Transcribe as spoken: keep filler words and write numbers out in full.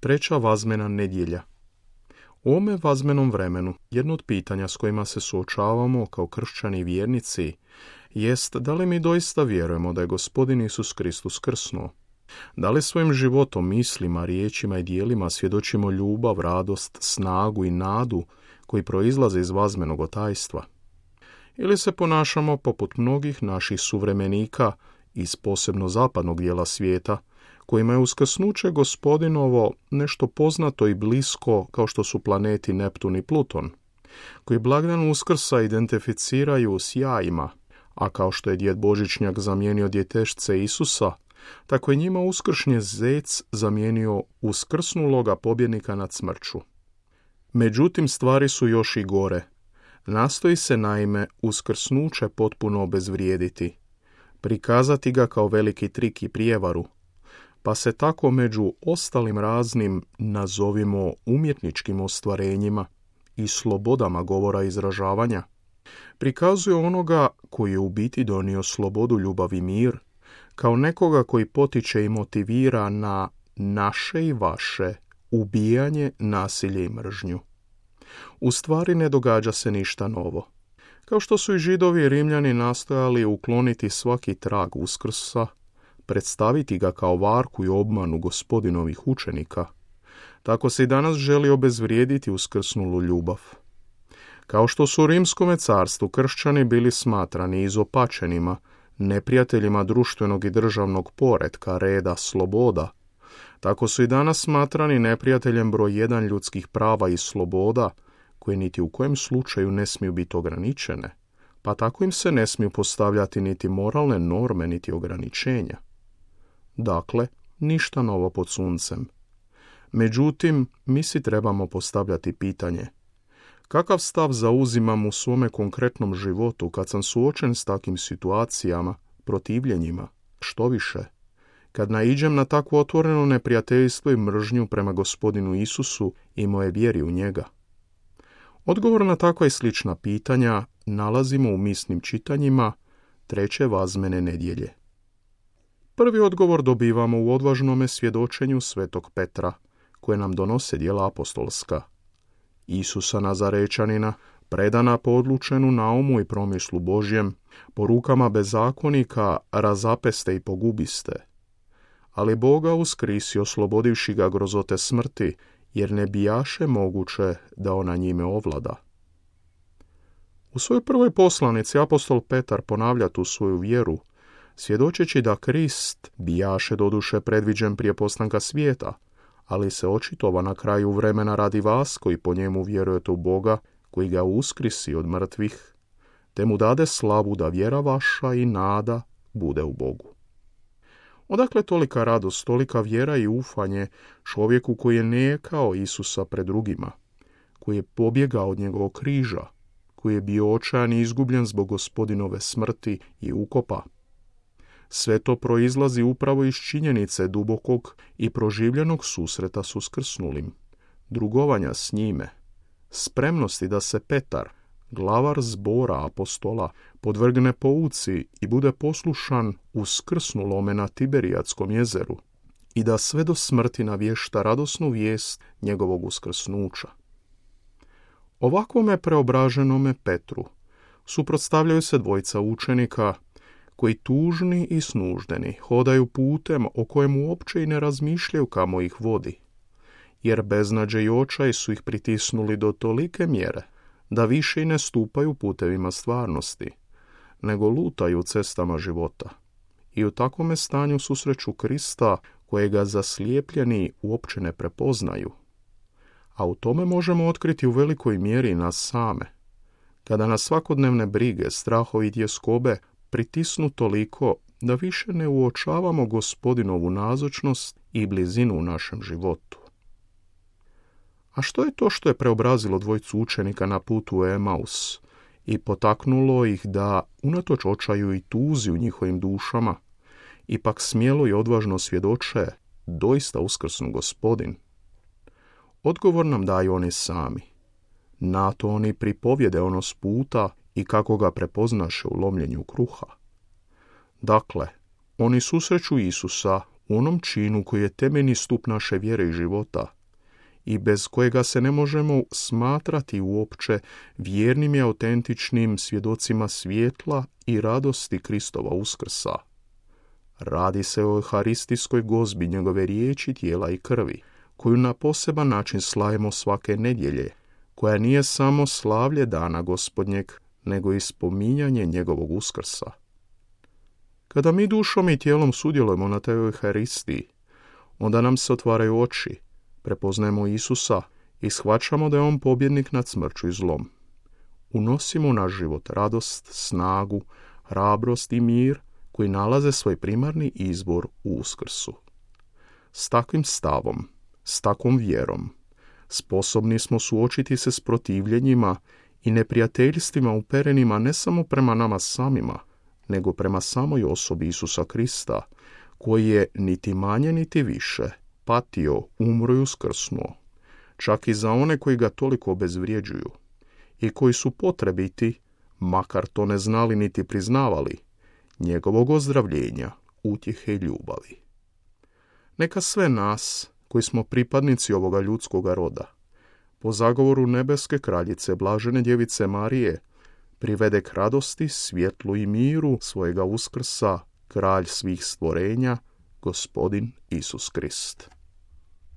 Treća vazmena nedjelja. U ovome vazmenom vremenu jedno od pitanja s kojima se suočavamo kao kršćani i vjernici jest da li mi doista vjerujemo da je Gospodin Isus Kristus krsnuo. Da li svojim životom, mislima, riječima i djelima svjedočimo ljubav, radost, snagu i nadu koji proizlaze iz vazmenog tajstva? Ili se ponašamo poput mnogih naših suvremenika iz posebno zapadnog dijela svijeta, kojima je uskrsnuće Gospodinovo nešto poznato i blisko kao što su planeti Neptun i Pluton, koji blagdan Uskrsa identificiraju s jajima, a kao što je djed Božićnjak zamijenio djetešce Isusa, tako je njima uskršnji zec zamijenio uskrsnuloga pobjednika nad smrću. Međutim, stvari su još i gore. Nastoji se naime uskrsnuće potpuno obezvrijediti, prikazati ga kao veliki trik i prijevaru, pa se tako među ostalim raznim, nazovimo umjetničkim ostvarenjima i slobodama govora i izražavanja, prikazuje onoga koji je u biti donio slobodu, ljubav i mir, kao nekoga koji potiče i motivira na naše i vaše ubijanje, nasilje i mržnju. U stvari ne događa se ništa novo. Kao što su i Židovi i Rimljani nastojali ukloniti svaki trag Uskrsa, predstaviti ga kao varku i obmanu Gospodinovih učenika, tako se i danas želi obezvrijediti uskrsnulu ljubav. Kao što su u Rimskome carstvu kršćani bili smatrani izopačenima, neprijateljima društvenog i državnog poretka, reda, sloboda, tako su i danas smatrani neprijateljem broj jedan ljudskih prava i sloboda, koje niti u kojem slučaju ne smiju biti ograničene, pa tako im se ne smiju postavljati niti moralne norme, niti ograničenja. Dakle, ništa novo pod suncem. Međutim, mi si trebamo postavljati pitanje: kakav stav zauzimam u svome konkretnom životu kad sam suočen s takvim situacijama, protivljenjima, što više, kad naiđem na takvo otvoreno neprijateljstvo i mržnju prema Gospodinu Isusu i moje vjeri u njega? Odgovor na takva i slična pitanja nalazimo u misnim čitanjima treće vazmene nedjelje. Prvi odgovor dobivamo u odvažnome svjedočenju svetog Petra, koje nam donose djela apostolska. Isusa Nazarečanina, predana po odlučenu naumu i promislu Božjem, po rukama bezakonika razapeste i pogubiste. Ali Boga uskrisio, oslobodivši ga grozote smrti, jer ne bijaše moguće da ona njime ovlada. U svojoj prvoj poslanici apostol Petar ponavlja tu svoju vjeru, svjedočeći da Krist bijaše doduše predviđen prije postanka svijeta, ali se očitova na kraju vremena radi vas koji po njemu vjerujete u Boga, koji ga uskrisi od mrtvih, te mu dade slavu da vjera vaša i nada bude u Bogu. Odakle tolika radost, tolika vjera i ufanje čovjeku koji je nijekao Isusa pred drugima, koji je pobjegao od njegovog križa, koji je bio očajan i izgubljen zbog Gospodinove smrti i ukopa? Sve to proizlazi upravo iz činjenice dubokog i proživljenog susreta s uskrsnulim, drugovanja s njime, spremnosti da se Petar, glavar zbora apostola, podvrgne pouci i bude poslušan uskrsnulome na Tiberijatskom jezeru i da sve do smrti navješta radosnu vijest njegovog uskrsnuća. Ovakvome preobraženome Petru suprotstavljaju se dvojica učenika koji tužni i snuždeni hodaju putem o kojemu uopće i ne razmišljaju kamo ih vodi, jer beznađe i očaj su ih pritisnuli do tolike mjere da više i ne stupaju putevima stvarnosti, nego lutaju cestama života. I u takvome stanju susreću Krista, kojega zaslijepljeni uopće ne prepoznaju. A u tome možemo otkriti u velikoj mjeri nas same, kada nas svakodnevne brige, strahovi i tjeskobe pritisnu toliko da više ne uočavamo Gospodinovu nazočnost i blizinu u našem životu. A što je to što je preobrazilo dvojicu učenika na putu u Emaus i potaknulo ih da, unatoč očaju i tuzi u njihovim dušama, ipak smjelo i odvažno svjedoče: doista uskrsnu Gospodin? Odgovor nam daju oni sami. Na to oni pripovjede ono s puta i kako ga prepoznaše u lomljenju kruha. Dakle, oni susreću Isusa u onom činu koji je temeljni stup naše vjere i života i bez kojega se ne možemo smatrati uopće vjernim i autentičnim svjedocima svjetla i radosti Kristova uskrsa. Radi se o euharistijskoj gozbi njegove riječi, tijela i krvi, koju na poseban način slavimo svake nedjelje, koja nije samo slavlje dana Gospodnjeg, nego i spominjanje njegovog uskrsa. Kada mi dušom i tijelom sudjelujemo na toj euharistiji, onda nam se otvaraju oči, prepoznajemo Isusa i shvaćamo da je on pobjednik nad smrću i zlom. Unosimo u naš život radost, snagu, hrabrost i mir koji nalaze svoj primarni izbor u uskrsu. S takvim stavom, s takvom vjerom, sposobni smo suočiti se s protivljenjima i neprijateljstvima uperenima ne samo prema nama samima, nego prema samoj osobi Isusa Krista, koji je niti manje niti više patio, umro i uskrsnuo, čak i za one koji ga toliko obezvrjeđuju i koji su potrebiti, makar to ne znali niti priznavali, njegovog ozdravljenja, utjehe i ljubavi. Neka sve nas, koji smo pripadnici ovoga ljudskoga roda, po zagovoru nebeske kraljice Blažene djevice Marije, privede k radosti, svjetlu i miru svojega uskrsa, kralj svih stvorenja, Gospodin Isus Krist.